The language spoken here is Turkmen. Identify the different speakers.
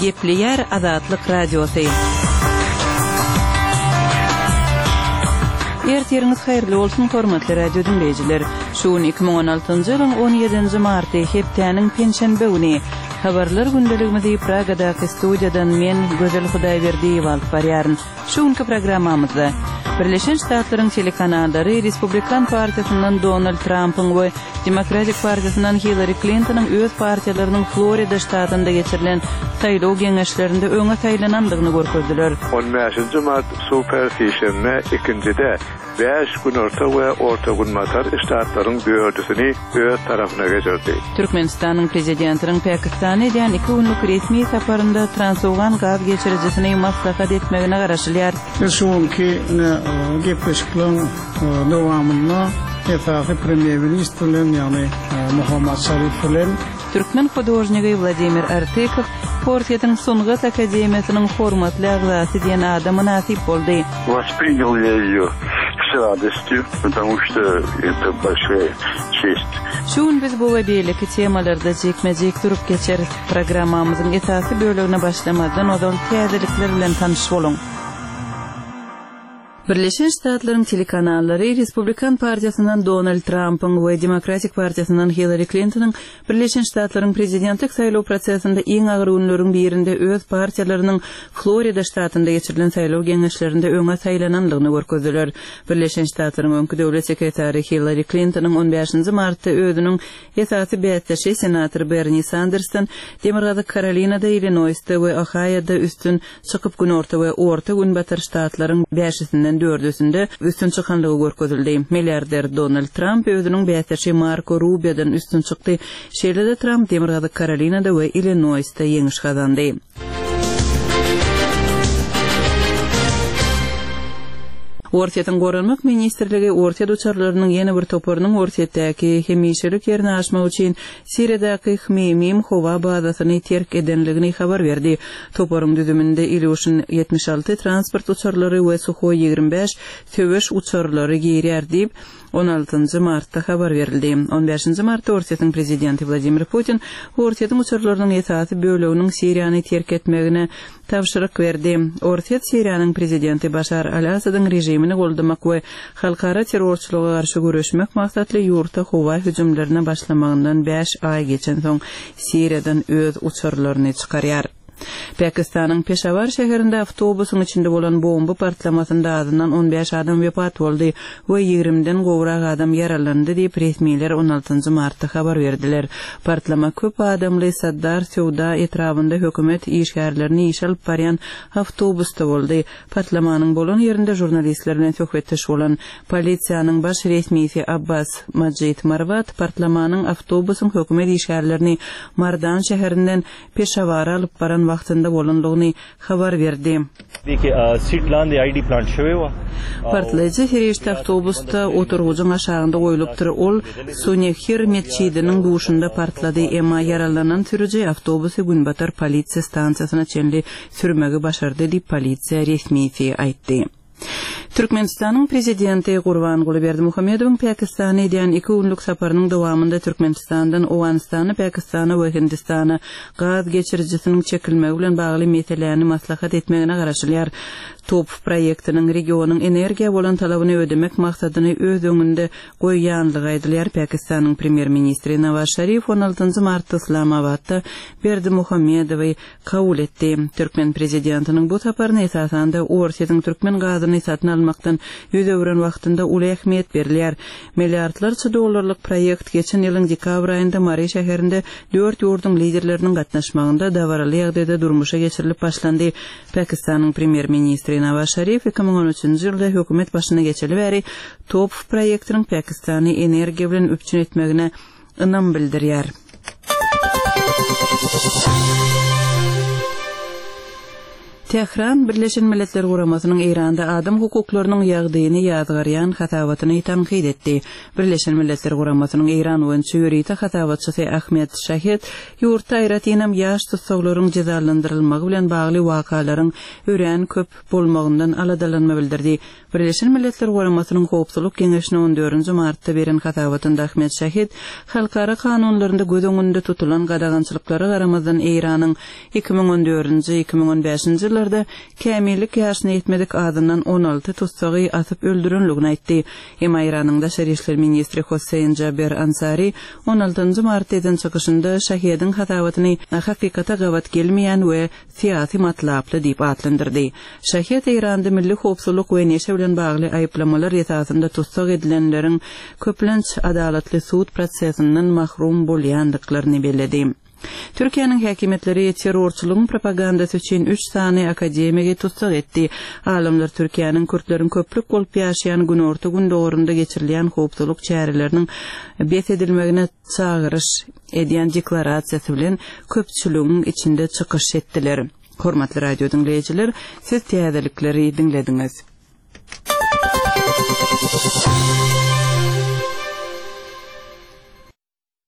Speaker 1: Gepleýär Azatlyk Radiosy. Ertiriňiz haýyrly bolsun, hormatly radio diňleýjiler! Şu gün 2016-njy ýylyň 17-nji marty, hepdäniň penşenbe güni. Habarlar gündeligimizi Pragadaky studiýadan men, Gözel Hudaýberdiýewa alyp barýaryn. Şu günki programmamyzda Birleşen Ştatlaryň telekanallary Respublikan partiýasyndan Donald Trampyň we Demokratik partiýasyndan Hillari Klintonyň öz partiýalarynyň Florida ştatynda geçirilen saýlaw geňeşlerinde öňe saýlanandygyny görkezdiler.
Speaker 2: On bäşinji mart super sişenbe ikinjide bäş günorta we orta-günbatar ştatlaryň dördüsini öz tarapyna geçirdi.
Speaker 1: Türkmenistanyň Prezidentiniň Pakistana edýän iki günlük resmi saparynda Transowgan gaz geçirijisini maslahat etmegine garaşylýar.
Speaker 3: Biz şu günki ine gepleşikleriň dowamynda esasy premýer-ministr bilen, ýagny Muhammad Şarif bilen,
Speaker 1: Türkmen hudožnigi Wladimir Artykow Orsýetiň Sungat akademiýasynyň hormatly agzasy diýen ada mynasyp boldy.
Speaker 4: Wosprýanyl ýa ýeýo s radostýu, potomu çto eto bolşaýa çest.
Speaker 1: Şu gün biz bu we beýleki temalarda jikme-jik durup geçeris. Programmamyzyň esasy bölegine başlamazdan ozal täzelikler bilen tanyş boluň. Birleşen Ştatlaryň telekanallary Respublikan partiýasyndan Donald Trampyň we Demokratik partiýasyndan Hillari Klintonyň Birleşen Ştatlaryň prezidentlik saýlaw prosesinde iň agyr günleriň birinde öz partiýalarynyň Florida ştatynda geçirilen saýlaw geňeşlerinde öňe saýlanandygyny görkezdiler. Birleşen Ştatlaryň öňki döwlet sekretary Hillari Klintonyň on bäşinji martda özüniň esasy bäsdeşi senator Berni Sandersden Demirgazyk Karolinada, Illinoýsda we Ohaýoda üstün çykyp günorta we orta günbatar ştatlaryň bäşisinden dördüsinde üstün çykanlygy görkezildi. Milliarder Donald Tramp özüniň bäsdeşi Marko Rubiodan üstün çykdy. Şeýle-de Tramp Demirgazyk Karolinada we Illinoýsda ýeňiş gazandy. Orsýetiň Goranmak ministrligi Orsýet uçarlarynyň ýene bir toparynyň Orsýetdäki hemişelik ýerine aşmak üçin Siriýadaky Hmeýmim howa bazasyny terk edenligini habar berdi. Toparyň düzüminde Ilýuşin 76 transport uçarlary we Suhoý 25 söweş uçarlary girýär diýip, on altynjy martda habar berildi. On bäşinji martda Orsýetiň prezidenti Wladimir Putin Orsýetiň uçarlarynyň esasy böleginiň Siriýany terk etmegine tabşyryk berdi. Orsýet Siriýanyň prezidenti Başar al-Asadyň režimini goldamak we halkara terrorçylyga garşy göreşmek maksatly ýurtda howa hüjümlerine başlamagyndan bäş aý geçensoň Siriýadan öz uçarlaryny çykarýar. Pakistanyň Peşawar şäherinde awtobusyň içinde bolan bomba partlamasynda azyndan on bäş adam wepat boldy we ýigrimiden gowrak adam ýaralandy diýip, resmiler on altynjy martda habar berdiler. Partlama köp adamly Saddar söwda etrabynda hökümet işgärlerini işe alyp barýan awtobusda boldy. Partlamanyň bolan ýerinde žurnalistler bilen söhbetdeş bolan polisiýanyň baş resmisi Abbas Majid Marwat partlamanyň awtobusyň hökümet işgärlerini Mardan şäherinden Peşawara alyp baran wagtynda bolandygyny habar berdi. Partlaýjy serişde awtobusda oturgyjyň aşagynda goýlupdyr. Ol Sunehir metjidiniň duşunda partlady, emma ýaralanan sürüji awtobusy günbatar polisiýa stansiýasyna çenli sürmegi başardy diýip, polisiýa resmisi aýtdy. Türkmenistanyň Prezidenti Gurbanguly Berdimuhamedowyň Pakistana edýän iki günlük saparynyň dowamynda Türkmenistandan Owganystana, Pakistana we Hindistana gaz geçirijisiniň çekilmegi bilen bagly meseläni maslahat etmegine garaşylýar. TOPH proýektiniň regionyň energiýa bolan talabyny ödemek maksadyny öz öňünde goýýanlygy aýdylýar. Pakistanyň Premýer-ministri Nawaz Şarif on altynjy martda Yslamabatda Berdimuhamedowy kabul etdi. Türkmen prezidentiniň bu saparyna esasanda Orsýetiň türkmen gazyny satyn almakdan ýüz öwren wagtynda uly ähmiýet berilýär. Milliardlarça dollarlyk proýekt geçen ýylyň dekabr aýynda Mary şäherinde dört ýurduň liderleriniň gatnaşmagynda dabaraly ýagdaýda durmuşa geçirilip başlandy. Pakistanyň premýer-ministri Nawaz Şarif 2013-nji ýylda hökümet başyna geçeli bäri TOPH proýektiniň Pakistany energiýa bilen üpjün etmegine ynam bildirýär. Tähran Birleşen Milletler Guramasynyň Eýranda adam hukuklarynyň ýagdaýyny ýazgarýan hasabatyny tankyt etdi. Birleşen Milletler Guramasynyň Eýran boýunça ýörite hasabatçysy Ahmed Şahed ýurtda aýratynam ýaş tussaglaryň jezalandyrylmagy bilen bagly wakalaryň örän köp bolmagyndan aladalanma bildirdi. Birleşen Milletler Guramasynyň Howpsuzlyk Geňeşine on dördünji martda beren hasabatynda Ahmed Şahid halkara kanunlarynda göz öňünde tutulan gadagançylyklara garamazdan Eýranyň 2014-nji, 2015-nji ýyllarda kämillik ýaşyna ýetmedik azyndan 16 tussagy asyp öldürenligini aýtdy. Emma Eýranyň daşary işler ministri Hossein Jaber Ansari on altynjy martda eden çykyşynda Şahediň hasabatyny hakykata gabat gelmeýän we syýasy matlaply diýip atlandyrdy. Şahed Eýranda milli howpsuzlyk we neşe bilen bagly aýyplamalar esasynda tussag edilenleriň köplenç adalatly sud prosesinden mahrum bolýandyklaryny belledi. Türkiýäniň häkimiýetleri terrorçylygyň propagandasy üçin üç sany akademigi tussag etdi. Alymlar Türkiýäniň kürtleriň köplük bolup ýaşaýan günorta-gündogarynda geçirilýän howpsuzlyk çäreleriniň bes edilmegine çagyryş edýän deklarasiýasy bilen köpçüligiň içinde çykyş etdiler. Hormatly radio diňleýjiler, siz täzelikleri diňlediňiz.